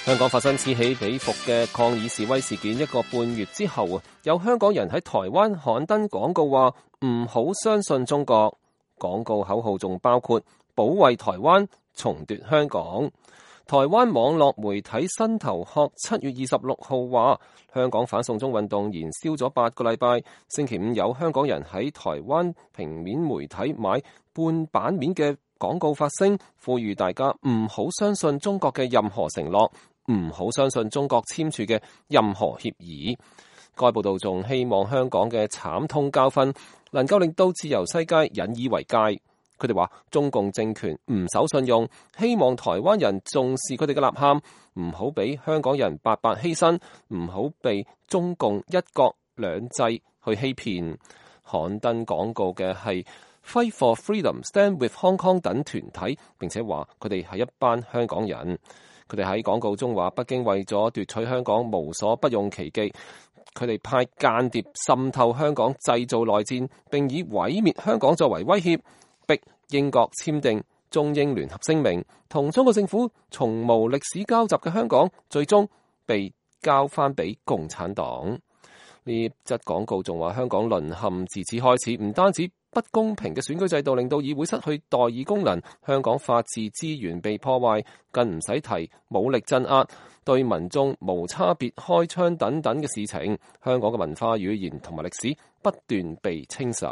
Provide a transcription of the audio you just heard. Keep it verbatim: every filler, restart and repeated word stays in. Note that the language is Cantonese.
香港發生此起彼伏嘅抗議示威事件一個半月之後啊，有香港人喺台灣刊登廣告話唔好相信中國，廣告口號仲包括保衛台灣、重奪香港。台灣網絡媒體新頭殼七月二十六號話，香港反送中運動燃燒咗八個禮拜，星期五有香港人喺台灣平面媒體買半版面嘅廣告發聲，呼籲大家唔好相信中國嘅任何承諾，唔好相信中國簽署嘅任何協議。該報道仲希望香港嘅慘痛教訓能夠令到自由世界引以為戒。佢哋話中共政權唔守信用，希望台灣人重視佢哋嘅吶喊，唔好俾香港人白白犧牲，唔好被中共一國兩制去欺騙。刊登廣告嘅係Fight for Freedom, Stand with Hong Kong 等團體，並且話佢哋係一班香港人。佢哋喺廣告中話，北京為咗奪取香港無所不用其極，佢哋派間諜滲透香港，製造內戰，並以毀滅香港作為威脅，逼英國簽訂中英聯合聲明，同中國政府從無歷史交集嘅香港，最終被交翻俾共產黨。呢則廣告仲話，香港淪陷自此開始，唔單止不公平嘅選舉制度令到議會失去代議功能，香港法治資源被破壞，更唔使提武力鎮壓，對民眾無差別開槍等等嘅事情。香港嘅文化、語言同埋歷史不斷被清洗。